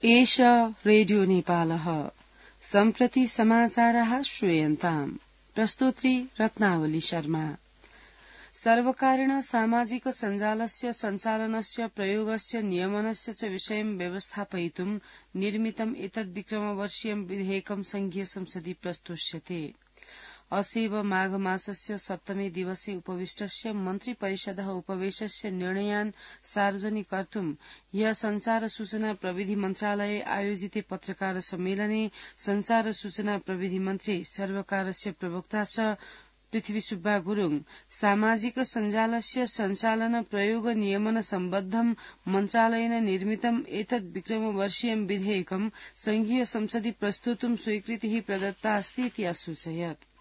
एष रेडियो नेपालः सम्प्रति समाचारः श्रूयन्ताम्। प्रस्तोत्री रत्नावली शर्मा। सर्वकारेण सामाजिक सञ्जालस्य सञ्चालनस्य प्रयोगस्य नियमनस्य च विषयं व्यवस्थापयितुं निर्मितम् एतद्विक्रमवर्षीयं विधेयकं संघीय संसदि प्रस्तोष्यते। असेव माघमासस्य सप्तमे दिवसे उपविष्टस्य मन्त्रिपरिषदः उपवेशस्य निर्णयान् सार्वजनिकर्तुं ह्यः संचार सूचना प्रविधि मन्त्रालये आयोजिते पत्रकार सम्मेलने संचार सूचना प्रविधि मन्त्री सर्वकारस्य प्रवक्ता च पृथ्वी सुब्बा गुरूङ सामाजिक सञ्जालस्य सञ्चालन प्रयोग नियमन सम्बद्धं मन्त्रालयेन निर्मितम् एतद् विक्रमवर्षीयं विधेयकं संघीय संसदि प्रस्तोतुं स्वीकृतिः प्रदत्ता अस्ति इति असूचयत्।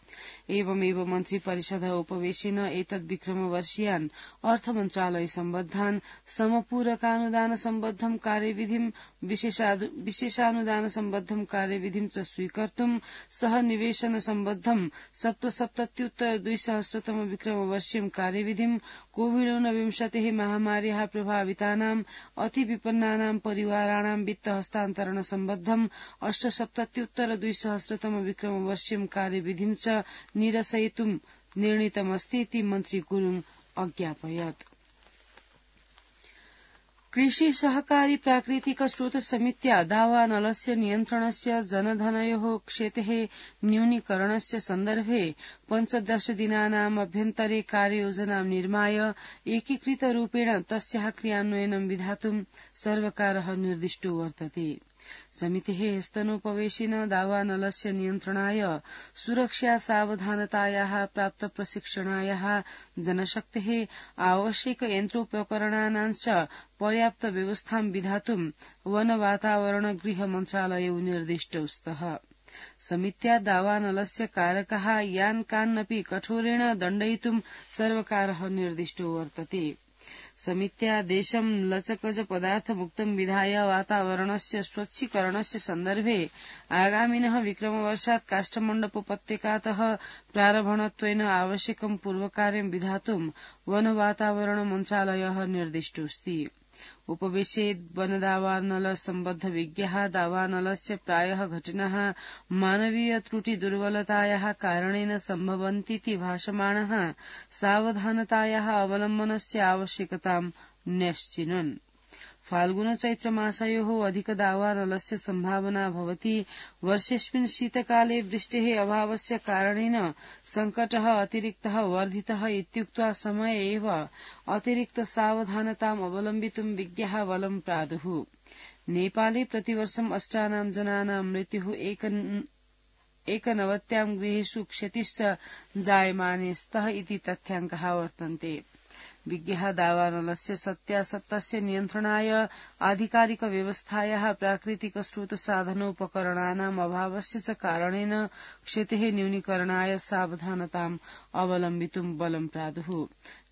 एवमेव मन्त्रिपरिषदः उपवेशेन एतद् विक्रमवर्षीयान् अर्थमन्त्रालय सम्बद्धान् समपूरकानुदान सम्बद्धं कार्यविधिं विशेषानुदान सम्बद्धं कार्यविधिं च स्वीकर्तुं सह निवेशन सम्बद्धं 77,200 विक्रमवर्षीयं कार्यविधिं कोविड-19 महामार्याः प्रभावितानां अतिविपन्नानां परिवाराणां वित्त हस्तान्तरण सम्बद्धं 78,200 विक्रमवर्षीयं कार्यविधिं च निरसयितुं निर्णीतमस्ति इति मन्त्री गुरूङ अज्ञापयत्। कृषि सहकारी प्राकृतिक स्रोत समित्या दावानलस्य नियन्त्रणस्य जनधनयोः क्षतेः न्यूनीकरणस्य सन्दर्भे 15 दिनानाम् अभ्यन्तरे कार्ययोजनां निर्माय एकीकृतरूपेण तस्याः क्रियान्वयनं विधातुं सर्वकारः निर्दिष्टो वर्तते। समितेः स्तनोपवेशेन दावानलस्य नियन्त्रणाय सुरक्षा सावधानतायाः प्राप्त प्रशिक्षणायाः जनशक्तेः आवश्यक यन्त्रोपकरणानां च पर्याप्त व्यवस्थां विधातुं वन वातावरण गृह मन्त्रालयौ निर्दिष्टौ स्तः। समित्या दावानलस्य कारकाः यान् कान्नपि कठोरेण दण्डयितुं सर्वकारः निर्दिष्टो वर्तते। समित्या देशं लचकज पदार्थमुक्तं विधाय वातावरणस्य स्वच्छीकरणस्य सन्दर्भे आगामिनः विक्रमवर्षात् काष्ठमण्डपोपत्यकातः प्रारम्भणत्वेन आवश्यकं पूर्वकार्यं विधातुं वन वातावरण मन्त्रालयः निर्दिष्टोऽस्ति। उपवेशे वनदावानल सम्बद्ध विज्ञाः दावानलस्य प्रायः घटनाः मानवीय त्रुटि दुर्बलतायाः कारणेन सम्भवन्तीति भाषमाणः सावधानतायाः अवलम्बनस्य आवश्यकतां न्यश्चिनुन्। फाल्गुन चैत्र मासयोः अधिक दावानलस्य सम्भावना भवति। वर्षेऽस्मिन् शीतकाले वृष्टेः अभावस्य कारणेन सङ्कटः अतिरिक्तः वर्धितः इत्युक्त्वा समये एव अतिरिक्त सावधानताम् अवलम्बितुं विज्ञाः बलं प्रादुः। नेपाले प्रतिवर्षम् 8 जनानां मृत्युः 91 गृहेषु क्षतिश्च जायमाने स्तः इति तथ्याङ्काः वर्तन्ते। विज्ञाः दावानलस्य सत्यासत्तस्य नियन्त्रणाय आधिकारिक व्यवस्थायाः प्राकृतिक स्रोत साधनोपकरणानाम् अभावस्य च कारणेन क्षतेः न्यूनीकरणाय सावधानताम् अवलम्बितुं बलं प्रादुः।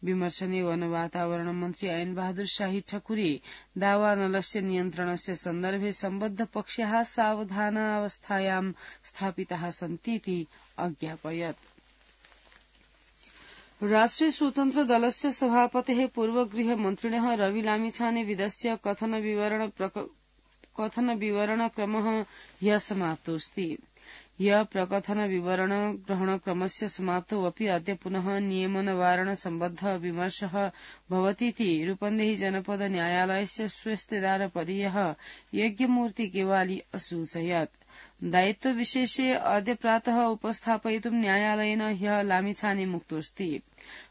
विमर्शने वन वातावरण मन्त्री ऐन बहादुर शाही ठकुरी दावानलस्य नियन्त्रणस्य सन्दर्भे सम्बद्ध पक्षाः सावधानावस्थायां स्थापिताः सन्ति इति अज्ञापयत्। राष्ट्रिय स्वतन्त्र दलस्य सभापतेः पूर्वगृह मन्त्रिणः रवि लामिछाने विदस्य कथन विवरण क्रमः ह्यः समाप्तोऽस्ति। ह्यः प्रकथन विवरण ग्रहण क्रमस्य समाप्तौ अपि अद्य पुनः नियमनवारण सम्बद्ध विमर्शः भवतीति रूपन्देही जनपद न्यायालयस्य स्वेस्तेदारपदीयः यज्ञमूर्ति गेवाली असूचयत्। दायित्वविशेषे अद्य प्रातः उपस्थापयितुं न्यायालयेन ह्यः लामिछाने मुक्तोऽस्ति।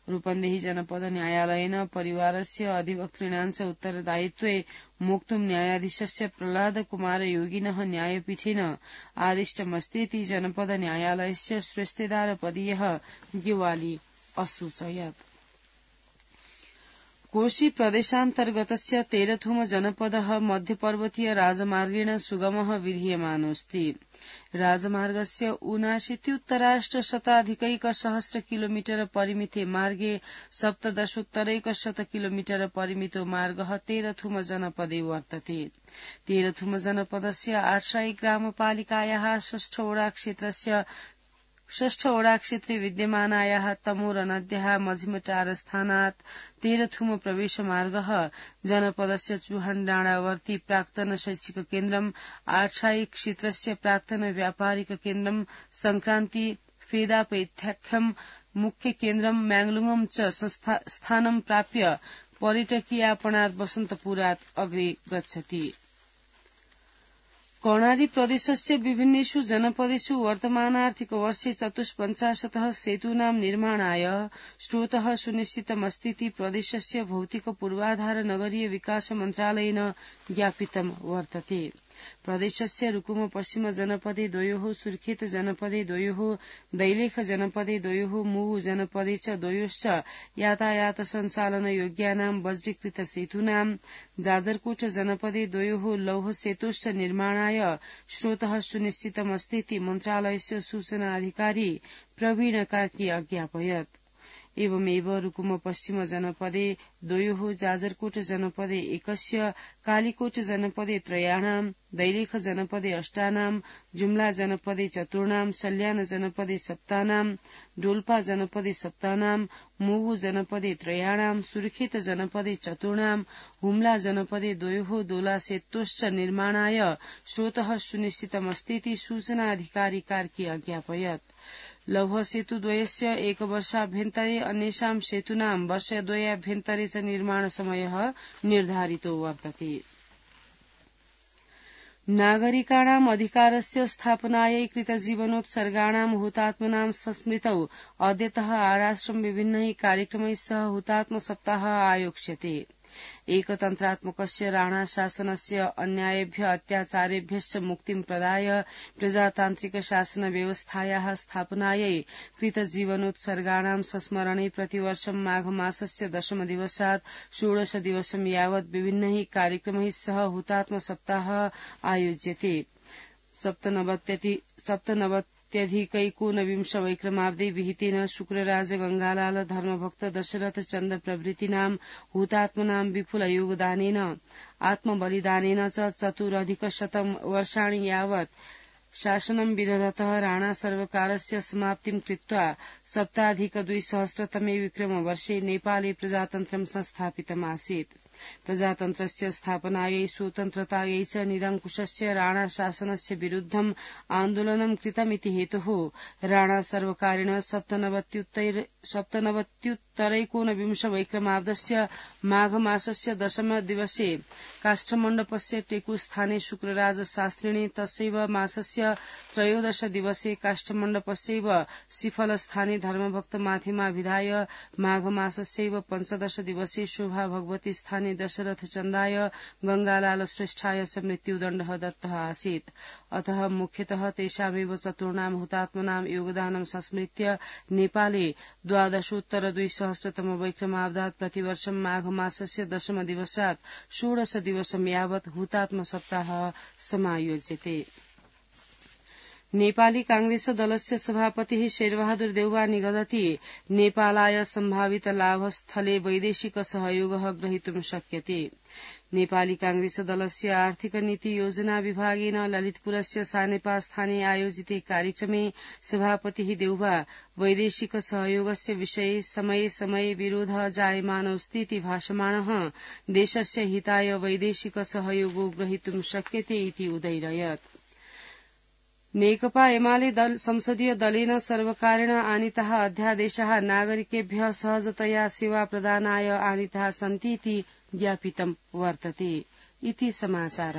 रूपन्देही जनपद न्यायालयेन परिवारस्य अधिवक्तॄणां च उत्तरदायित्वे मोक्तुं न्यायाधीशस्य प्रह्लाद कुमार योगिनः न्यायपीठेन आदिष्टमस्तीति जनपद न्यायालयस्य स्वेस्तेदारपदीयः गेवाली असूचयत्। कोशी प्रदेशान्तर्गतस्य तेरथुम जनपदः मध्यपर्वतीय राजमार्गेण सुगमः विधीयमानोऽस्ति। राजमार्गस्य 79,100 किलोमीटर परिमिते मार्गे 17,100 किलोमीटर परिमितो मार्गः तेरथुम जनपदे वर्तते। तेरथुम जनपदस्य 8 ग्रामपालिकायाः 6 वडा क्षेत्रस्य षष्ठ ओडा क्षेत्रे विद्यमानायाः तमोरनद्याः मझिमटारस्थानात् तेरथुम प्रवेशमार्गः जनपदस्य चुहण्डाणावर्ती प्राक्तन शैक्षिक केन्द्रम् आठायिक क्षेत्रस्य प्राक्तन व्यापारिक केन्द्रम् संक्रान्ति फेदापैथ्याख्यम् मुख्य केन्द्रम् म्याङ्लुङम् च स्थानम् प्राप्य पर्यटकीयापणात् वसन्तपुरात् अग्रे गच्छति। कर्णाली प्रदेशस्य विभिन्नेषु जनपदेषु वर्तमानार्थिकवर्षे 450 सेतूनां निर्माणाय स्रोतः सुनिश्चितमस्तीति प्रदेशस्य भौतिक पूर्वाधार नगरीय विकास मन्त्रालयेन ज्ञापितं वर्तते। प्रदेशस्य रुकुम पश्चिम जनपदे द्वयोः, सुर्खेत जनपदे द्वयोः, दैलेख जनपदे द्वयोः, मुहु जनपदे च द्वयोश्च यातायात सञ्चालन योग्यानां वज्रीकृत सेतूनां, जाजरकोट जनपदे द्वयोः लौह सेतोश्च निर्माणाय स्रोतः सुनिश्चितमस्तीति मन्त्रालयस्य सूचना अधिकारी प्रवीण कार्की अज्ञापयत्। एवमेव रुकुम पश्चिम जनपदे द्वयोः, जाजरकोट जनपदे एकस्य, कालीकोट जनपदे त्रयाणां, दैलेख जनपदे अष्टानां, जुम्ला जनपदे चतुर्णां, सल्यान जनपदे सप्तानां, डोल्पा जनपदे सप्तानां, मुगु जनपदे त्रयाणां, सुर्खेत जनपदे चतुर्णां, हुम्ला जनपदे द्वयोः दोला सेतोश्च निर्माणाय स्रोतः सुनिश्चितमस्तीति सूचनाधिकारी कार्की अज्ञापयत्। लौह सेतुद्वयस्य एकवर्षाभ्यन्तरे अन्येषां सेतूनां वर्षद्वयाभ्यन्तरे च निर्माणसमयः निर्धारितो वर्तते। नागरिकाणाम् अधिकारस्य स्थापनायै कृतजीवनोत्सर्गाणाम् हुतात्मनां संस्मृतौ अद्यतः आराश्रम विभिन्नैः कार्यक्रमैः सह हुतात्म सप्ताहः आयोक्ष्यते। एकतन्त्रात्मकस्य राणा शासनस्य अन्यायेभ्य अत्याचारेभ्यश्च मुक्तिं प्रदाय प्रजातान्त्रिक शासन व्यवस्थायाः स्थापनायै कृतजीवनोत्सर्गाणां संस्मरणे प्रतिवर्षं माघमासस्य 10 दिवसात् 16 दिवसं यावत् विभिन्नैः कार्यक्रमैः सह हुतात्म सप्ताहः आयोज्यते। 97 वैक्रमाब्दे विहितेन शुक्रराज गंगालाल धर्मभक्त दशरथ चन्द प्रभृतीनां हुतात्मनां विपुल योगदानेन आत्मबलिदानेन च 4,100 वर्षाणि यावत् शासनं विदधतः राणा सर्वकारस्य समाप्तिं कृत्वा 7,200 विक्रमवर्षे नेपाले प्रजातन्त्रं संस्थापितमासीत्। प्रजातन्त्रस्य स्थापनायै स्वतन्त्रतायै च निरङ्कुशस्य राणा शासनस्य विरुद्धम् आन्दोलनं कृतमिति हेतुः राणा सर्वकारेण 97 वैक्रमाब्दस्य माघमासस्य 10 दिवसे काष्ठमण्डपस्य टेकुस्थाने शुक्रराज शास्त्रिणे तस्यैव मासस्य 13 दिवसे काष्ठमण्डपस्यैव सिफलस्थाने धर्मभक्त माथिमाभिधाय माघमासस्यैव 15 दिवसे शोभा भगवती स्थाने दशरथ चन्दाय गंगालाल श्रेष्ठाय च मृत्युदण्डः दत्तः आसीत्। अतः मुख्यतः तेषामेव चतुर्णां हुतात्मनां योगदानं संस्मृत्य नेपाले 12,200 वैक्रमाब्दात् प्रतिवर्षं माघमासस्य 10 दिवसात् 16 दिवसं यावत् हुतात्म सप्ताहः समायोज्यते। नेपाली कांग्रेस दलस्य सभापतिः शेरबहादुर देउवा निगदति नेपालाय सम्भावित लाभस्थले वैदेशिक सहयोगः ग्रहीतुं शक्यते। नेपाली कांग्रेस दलस्य आर्थिक नीति योजना विभागेन ललितपुरस्य सानेपास्थाने आयोजिते कार्यक्रमे सभापतिः देउवा वैदेशिक सहयोगस्य विषये समये समये विरोधः जायमानोऽस्तीति भाषमाणः देशस्य हिताय वैदेशिक सहयोगो ग्रहीतुं शक्यते इति उदैरयत्। नेकपा एमाले संसदीय दलेन सर्वकारेण आनीताः अध्यादेशाः नागरिकेभ्यः सहजतया सेवा प्रदानाय आनीताः सन्ति इति ज्ञापितं वर्तते। इति समाचारः।